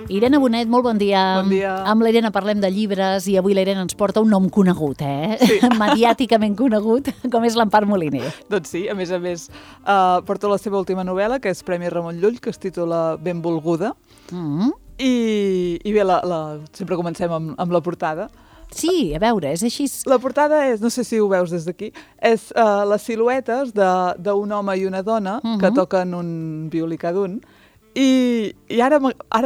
Irene Bonet, molt bon dia. Bon dia. Amb l'Irene parlem de llibres i avui l'Irene ens porta un nom conegut, Sí. Mediàticament conegut, com és l'Empar Moliner. Doncs sí, a més, porta la seva última novel·la, que és Premi Ramon Llull, que es titula Benvolguda. I bé, sempre comencem amb la portada. Sí, a veure, és així. La portada és, no sé si ho veus des d'aquí, és les siluetes d'un home i una dona que toquen un violí cada un. I ara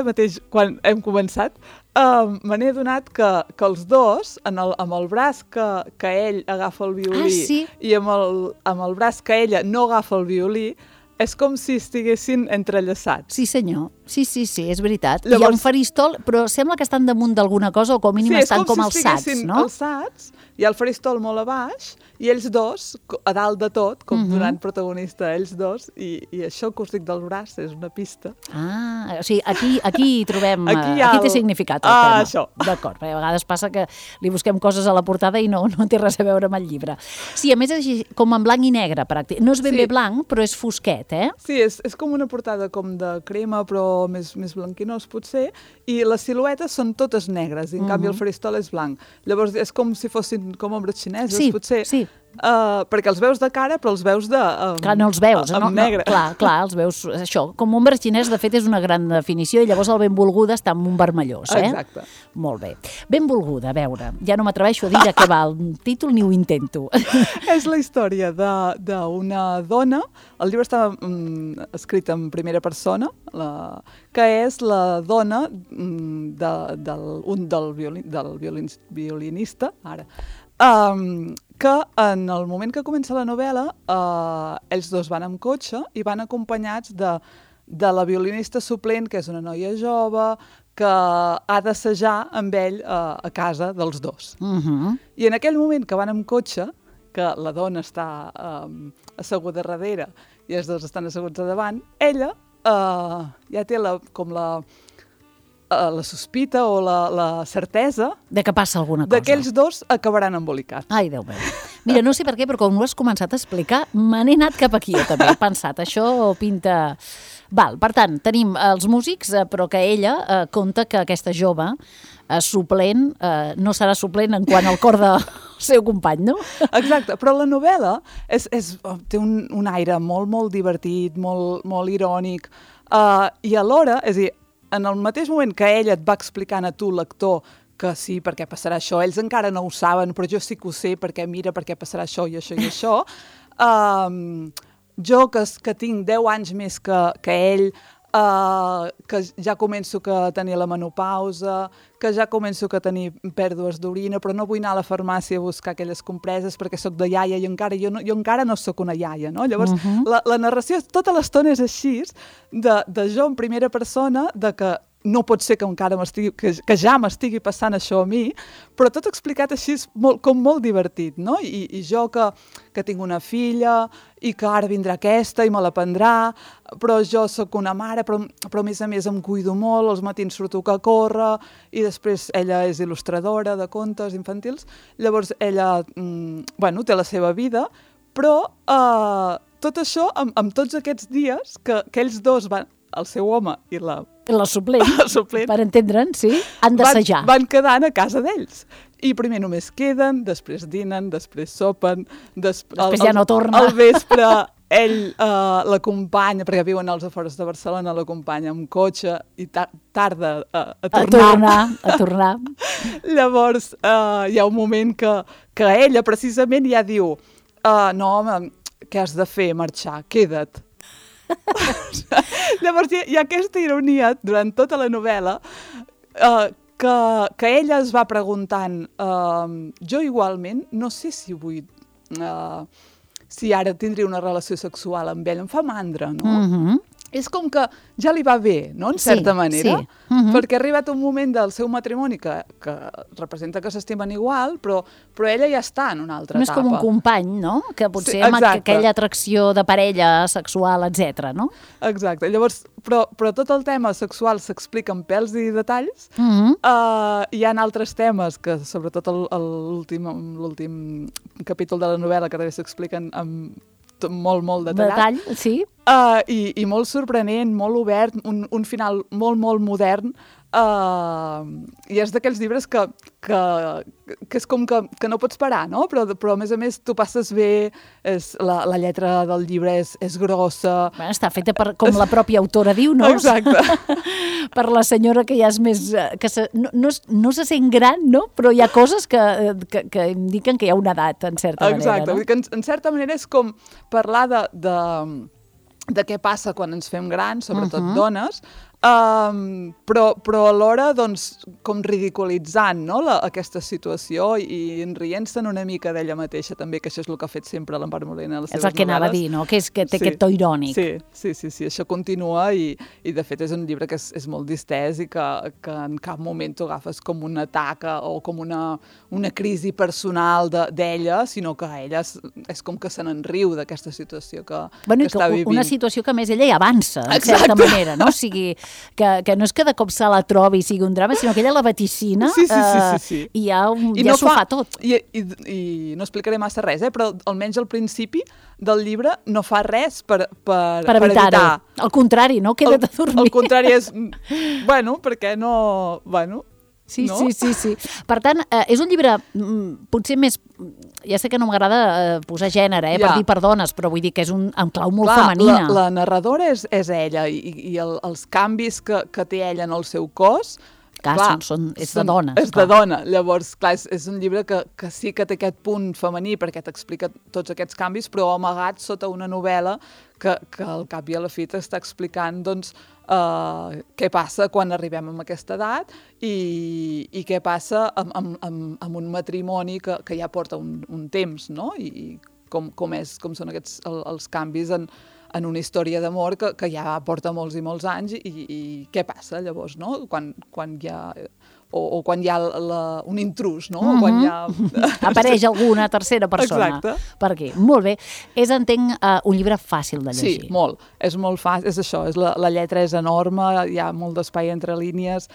mateix, quan hem començat, me n'he adonat que els dos, amb el braç que ell agafa el violí i amb el braç que ella no agafa el violí, és com si estiguessin entrellaçats. Sí, senyor. Sí, és veritat. Llavors, hi ha un faristol, però sembla que estan damunt d'alguna cosa o com a mínim estan com alçats, no? Sí, és com si estiguessin alçats, hi ha el faristol molt a baix i ells dos, a dalt de tot, com donant protagonista a ells dos, i això que us dic del braç és una pista. Ah, o sigui, aquí trobem... Aquí té significat el tema. Això. D'acord, perquè a vegades passa que li busquem coses a la portada i no té res a veure amb el llibre. Sí, a més és així, com en blanc i negre, pràcticament. No és ben bé blanc, però és fosquet, eh? Sí, és com una portada com de crema, però més blanquinós potser, i les siluetes són totes negres, i en canvi el faristol és blanc. Llavors és com si fossin com ombres xineses, potser. Sí. Perquè els veus de cara, però els veus clar, no els veus. Amb negre. Clar, els veus, això, com ombra xinès, de fet, és una gran definició, i llavors el benvolguda està en un vermellós, Exacte. Molt bé. Benvolguda, a veure, ja no m'atreveixo a dir de què va el títol ni ho intento. És la història d'una dona, el llibre està escrit en primera persona, que és la dona del violinista, ara, que en el moment que comença la novel·la, ells dos van amb cotxe i van acompanyats de la violinista suplent, que és una noia jove, que ha d'assajar amb ell a casa dels dos. I en aquell moment que van amb cotxe, que la dona està asseguda darrere i els dos estan asseguts a davant, ella ja té la sospita o la certesa de que passa alguna cosa. D'aquells dos acabaran embolicats. Ai, Déu meu. Mira, no sé per què, però quan ho has començat a explicar, me n'he anat cap aquí, jo també. He pensat, això pinta... Val, per tant, tenim els músics, però que ella conta que aquesta jove suplent no serà suplent en quant al cor del seu company, no? Exacte, però la novel·la té un aire molt, molt divertit, molt irònic, i alhora, és a dir, en el mateix moment que ella et va explicant a tu, lector, que sí, perquè passarà això, ells encara no ho saben, però jo sí que ho sé, perquè mira, perquè passarà això i això i això, jo que tinc 10 anys més que ell, que ja començo a tenir la menopausa, que ja començo a tenir pèrdues d'orina, però no vull anar a la farmàcia a buscar aquelles compreses perquè sóc de iaia i jo encara no sóc una iaia, no? Llavors, la narració tota l'estona és així, de jo en primera persona, de que no pot ser que ja m'estigui passant això a mi, però tot explicat així com molt divertit, no? I jo que tinc una filla i que ara vindrà aquesta i me la prendrà, però jo sóc una mare, però a més em cuido molt, els matins surto a córrer, i després ella és il·lustradora de contes infantils, llavors ella té la seva vida, però tot això amb tots aquests dies que ells dos van, el seu home i la suplent, per entendre'n, sí, han d'assajar. Van quedant a casa d'ells. I primer només queden, després dinen, després sopen, després ja no torna. Al vespre ell l'acompanya, perquè viuen als afores de Barcelona, l'acompanya amb cotxe i tarda a tornar. Llavors hi ha un moment que ella precisament ja diu no, home, què has de fer? Marxar, queda't. Llavors hi ha aquesta ironia durant tota la novel·la que ella es va preguntant jo igualment no sé si vull si ara tindria una relació sexual amb ell, em fa mandra, no? És com que ja li va bé, no?, en certa manera, perquè ha arribat un moment del seu matrimoni que representa que s'estimen igual, però ella ja està en una altra etapa. És com un company, no?, que potser amb aquella atracció de parella sexual, etc., no? Exacte. Llavors, però tot el tema sexual s'explica amb pèls i detalls. Hi ha altres temes que, sobretot l'últim capítol de la novel·la, que també s'expliquen amb molt, molt detallat. Detall, sí. I molt sorprenent, molt obert, un final molt, molt modern. I és d'aquells llibres que és com que no pots parar, no? Però a més tu passes bé, la lletra del llibre és grossa. Bueno, està feta com la pròpia autora diu, no? Exacte. Per la senyora que ja és més... no se sent gran, no? Però hi ha coses que indiquen que hi ha una edat, en certa manera. Exacte, no? vull dir que en certa manera és com parlar de què passa quan ens fem grans, sobretot dones, però alhora doncs, com ridiculitzant, no? aquesta situació i rient-se'n una mica d'ella mateixa també, que això és el que ha fet sempre l'Empar Molina a les seves novel·les. És el que anava a dir, no? Que té aquest to irònic. Sí, això continua i de fet és un llibre que és molt distès i que en cap moment t'ho agafes com un atac o com una crisi personal d'ella, sinó que ella és com que se n'enriu d'aquesta situació que està vivint. Una situació que a més ella hi avança, en certa manera, no? O sigui, que no és que de cop se la trobi i sigui un drama, sinó que ella la vaticina i ja s'ho fa tot. I no explicaré massa res, però almenys al principi del llibre no fa res per evitar-ho. Al contrari, no? Queda't a dormir. Al contrari és, perquè no... Sí. Per tant, és un llibre potser més... Ja sé que no m'agrada posar gènere, per dir per dones, però vull dir que és en clau molt femenina. La narradora és ella i els canvis que té ella en el seu cos... és de dones. És de dona. Llavors, clar, és un llibre que sí que té aquest punt femení perquè t'explica tots aquests canvis, però amagat sota una novel·la que al cap i a la fi t'està explicant doncs, què passa quan arribem a aquesta edat i què passa amb un matrimoni que ja porta un temps, no? I com són aquests els canvis en una història d'amor que ja porta molts i molts anys i què passa llavors, no? Quan hi ha... o quan hi ha un intrus, no? O quan hi ha... Apareix alguna tercera persona. Exacte. Per aquí. Molt bé. És, entenc, un llibre fàcil de llegir. Sí, molt. És molt fàcil. És això, la lletra és enorme, hi ha molt d'espai entre línies,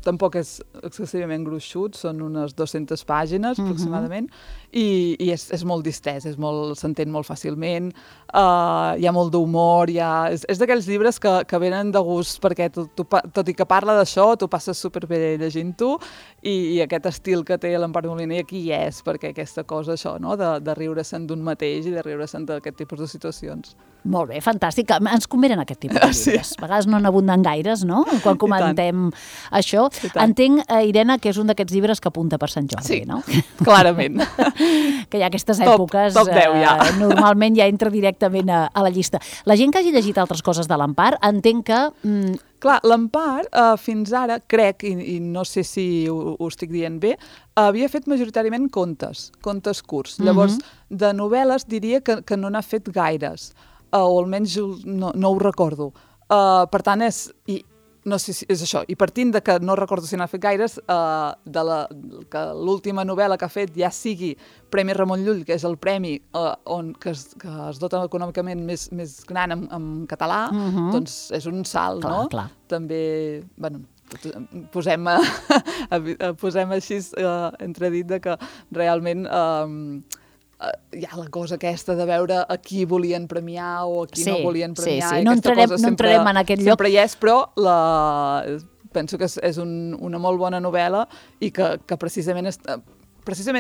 tampoc és excessivament gruixut, són unes 200 pàgines aproximadament, i és molt distès, s'entén molt fàcilment, hi ha molt d'humor, és d'aquells llibres que venen de gust, perquè tot i que parla d'això, tu passes superbé llegint-ho, i aquest estil que té l'Empar Moliner aquí hi és, perquè aquesta cosa, això, no? de riure-se'n d'un mateix i de riure-se'n d'aquest tipus de situacions. Molt bé, fantàstic. Ens convenen aquest tipus de llibres. A vegades no n'abunden gaires, no? Quan comentem això. Entenc, Irene, que és un d'aquests llibres que apunta per Sant Jordi, no? Sí, clarament. Que hi ha aquestes èpoques... Top 10, ja. Normalment ja entra directament a la llista. La gent que hagi llegit altres coses de l'Empar, entenc que... Clar, l'Empar, fins ara, crec, i no sé si ho estic dient bé, havia fet majoritàriament contes curts. Llavors, de novel·les diria que no n'ha fet gaires, o almenys no ho recordo. Per tant, no sé si és això. I partint de que no recordo si n'ha fet gaires, que l'última novel·la que ha fet ja sigui Premi Ramon Llull, que és el premi que es dota econòmicament més gran en català, doncs és un salt, no? Clar. També, posem així entredit de que realment hi ha la cosa aquesta de veure a qui volien premiar o a qui no volien premiar. Sí. No entrarem en aquest lloc. Sempre hi és, però penso que és una molt bona novel·la i que precisament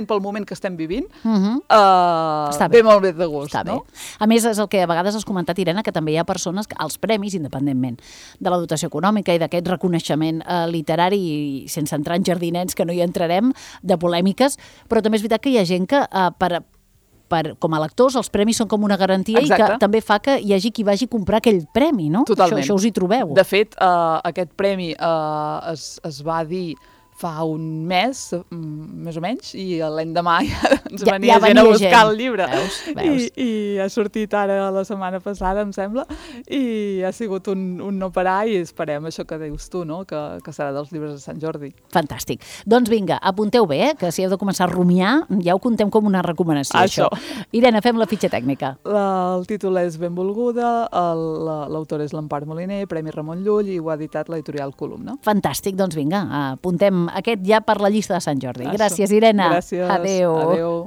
pel moment que estem vivint, ve molt bé de gust. Està no? bé. A més, és el que a vegades has comentat, Irene, que també hi ha persones que els premis, independentment de la dotació econòmica i d'aquest reconeixement literari, i sense entrar en jardinets, que no hi entrarem, de polèmiques, però també és veritat que hi ha gent que com a lectors els premis són com una garantia. Exacte. I que també fa que hi hagi qui vagi a comprar aquell premi, no? Totalment. Això us hi trobeu. De fet, aquest premi es va dir fa un mes, més o menys, i l'endemà ja ens venia gent a buscar el llibre. Veus. I ha sortit ara la setmana passada, em sembla, i ha sigut un no parar, i esperem això que dius tu, no? Que serà dels llibres de Sant Jordi. Fantàstic. Doncs vinga, apunteu bé, que si heu de començar a rumiar, ja ho contem com una recomanació, això. Irene, fem la fitxa tècnica. El títol és Benvolguda, l'autor és l'Empar Moliner, Premi Ramon Llull, i ho ha editat l'editorial Columna. Fantàstic, doncs vinga, apuntem aquest ja per la llista de Sant Jordi. Gràcies, Irene. Gràcies. Adéu. Adéu.